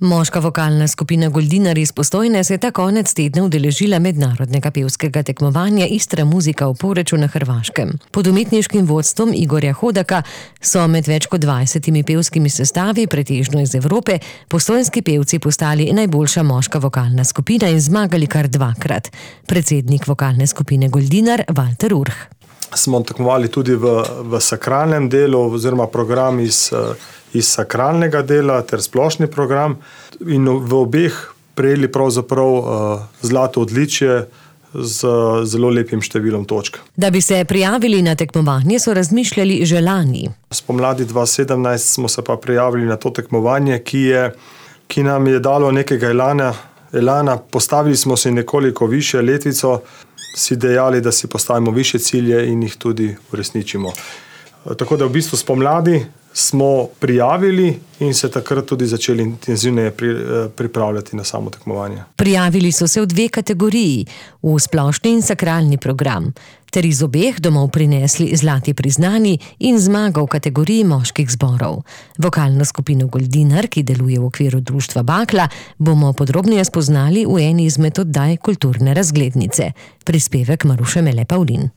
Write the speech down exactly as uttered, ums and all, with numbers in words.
Moška vokalna skupina Goldinar iz Postojne se je ta konec tedna udeležila mednarodnega pevskega tekmovanja Istra muzika v Poreču na Hrvaškem. Pod umetniškim vodstvom Igorja Hodaka so med več kot dvajsetimi pevskimi sestavi, pretežno iz Evrope, postojnski pevci postali najboljša moška vokalna skupina in zmagali kar dvakrat. Predsednik vokalne skupine Goldinar, Valter Urh. Smo tekmovali tudi v, v sakralnem delu oziroma program iz, iz sakralnega dela ter splošni program in v obeh prejeli pravzaprav uh, zlato odličje z zelo lepim številom točk. Da bi se prijavili na tekmovanje, so razmišljali že lani. Spomladi dva tisoč sedemnajst smo se pa prijavili na to tekmovanje, ki, je, ki nam je dalo nekega elana, elana. Postavili smo si nekoliko višje letvico, si dejali, da si postavimo višje cilje in jih tudi uresničimo. Tako da v bistvu spomladi smo prijavili in se takrat tudi začeli intenzivneje pri, pripravljati na samo tekmovanje. Prijavili so se v dve kategoriji, v splošni in sakralni program, ter iz obeh domov prinesli zlati priznani in zmaga v kategoriji moških zborov. Vokalno skupino Goldinar, ki deluje v okviru društva Bakla, bomo podrobneje spoznali v eni izmed oddaj Kulturne razglednice. Prispevek Maruše Mele Pavlin.